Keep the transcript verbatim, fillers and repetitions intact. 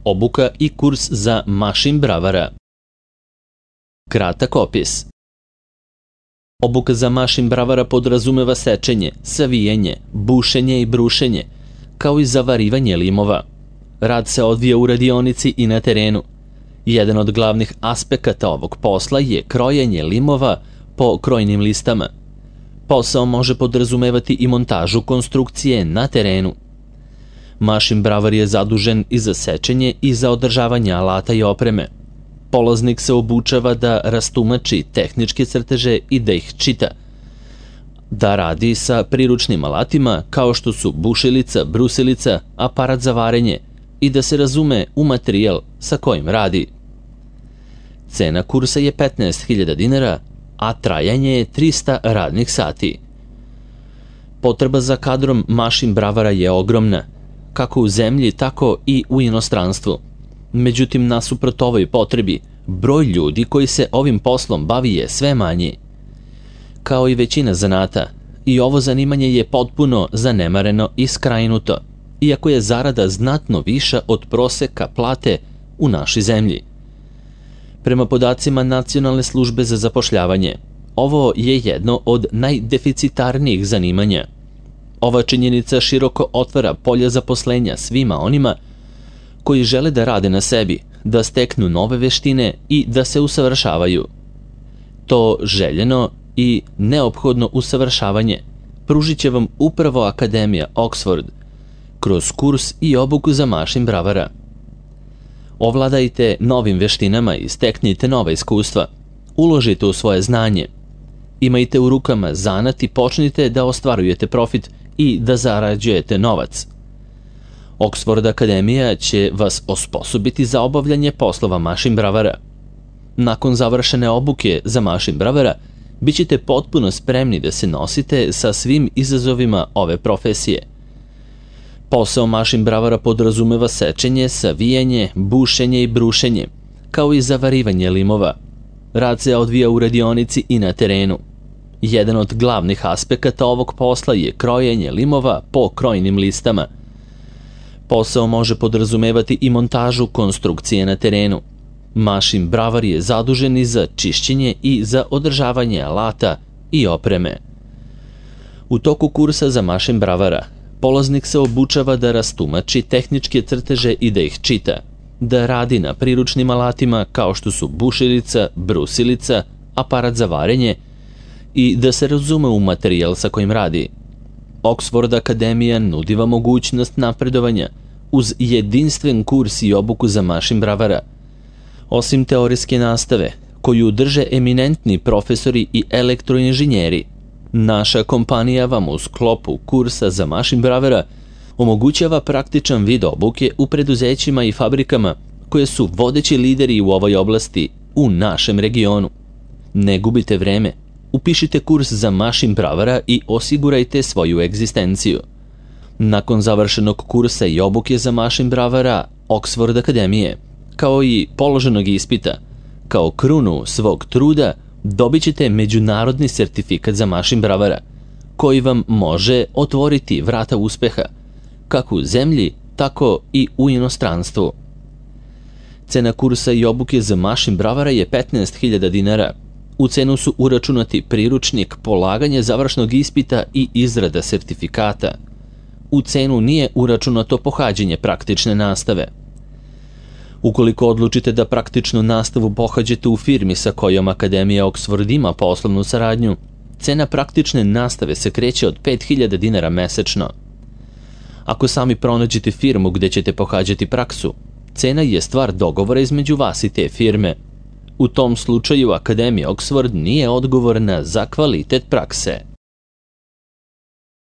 obuka i kurs za mašin bravara. Kratak opis. Obuka za mašin bravara podrazumeva sečenje, savijanje, bušenje i brušenje, kao i zavarivanje limova. Rad se odvija u radionici i na terenu. Jedan od glavnih aspekata ovog posla je krojenje limova po krojnim listama. Posao može podrazumevati i montažu konstrukcije na terenu. Mašin bravar je zadužen i za sečenje i za održavanje alata i opreme. Polaznik se obučava da rastumači tehničke crteže i da ih čita, da radi sa priručnim alatima kao što su bušilica, brusilica, aparat za varenje i da se razume u materijal sa kojim radi. Cena kursa je petnaest hiljada dinara, a trajanje je trista radnih sati. Potreba za kadrom mašin bravara je ogromna, kako u zemlji, tako i u inostranstvu. Međutim, nasuprot ovoj potrebi, broj ljudi koji se ovim poslom bavi je sve manji. Kao i većina zanata, i ovo zanimanje je potpuno zanemareno i skrajnuto, iako je zarada znatno viša od proseka plate u našoj zemlji. Prema podacima Nacionalne službe za zapošljavanje, ovo je jedno od najdeficitarnijih zanimanja. Ova činjenica široko otvara polja zaposlenja svima onima koji žele da rade na sebi, da steknu nove veštine i da se usavršavaju. To željeno i neophodno usavršavanje pružit će vam upravo Akademija Oxford kroz kurs i obuku za mašin bravara. Ovladajte novim veštinama i steknite nova iskustva. Uložite u svoje znanje. Imajte u rukama zanat i počnite da ostvarujete profit i da zarađujete novac. Oxford Akademija će vas osposobiti za obavljanje poslova mašin bravara. Nakon završene obuke za mašin bravara, bit ćete potpuno spremni da se nosite sa svim izazovima ove profesije. Posao mašin bravara podrazumeva sečenje, savijanje, bušenje i brušenje, kao i zavarivanje limova. Rad se odvija u radionici i na terenu. Jedan od glavnih aspekata ovog posla je krojenje limova po krojnim listama. Posao može podrazumevati i montažu konstrukcije na terenu. Mašin bravar je zadužen i za čišćenje i za održavanje alata i opreme. U toku kursa za mašin bravara, polaznik se obučava da rastumači tehničke crteže i da ih čita, da radi na priručnim alatima kao što su bušilica, brusilica, aparat za varenje i da se razume u materijal sa kojim radi. Oxford Akademija nudi vam mogućnost napredovanja uz jedinstven kurs i obuku za mašin bravara. Osim teorijske nastave, koju drže eminentni profesori i elektroinženjeri, naša kompanija vam u sklopu kursa za mašin bravara omogućava praktičan vid obuke u preduzećima i fabrikama koje su vodeći lideri u ovoj oblasti u našem regionu. Ne gubite vreme, upišite kurs za mašin bravara i osigurajte svoju egzistenciju. Nakon završenog kursa i obuke za mašin bravara Oxford Akademije, kao i položenog ispita, kao krunu svog truda dobit ćete međunarodni sertifikat za mašin bravara, koji vam može otvoriti vrata uspeha, kako u zemlji, tako i u inostranstvu. Cena kursa i obuke za mašin bravara je petnaest hiljada dinara. U cenu su uračunati priručnik, polaganje završnog ispita i izrada sertifikata. U cenu nije uračunato pohađanje praktične nastave. Ukoliko odlučite da praktičnu nastavu pohađate u firmi sa kojom Akademija Oxford ima poslovnu saradnju, cena praktične nastave se kreće od pet hiljada dinara mesečno. Ako sami pronađete firmu gde ćete pohađati praksu, cena je stvar dogovora između vas i te firme. U tom slučaju Akademija Oxford nije odgovorna za kvalitet prakse.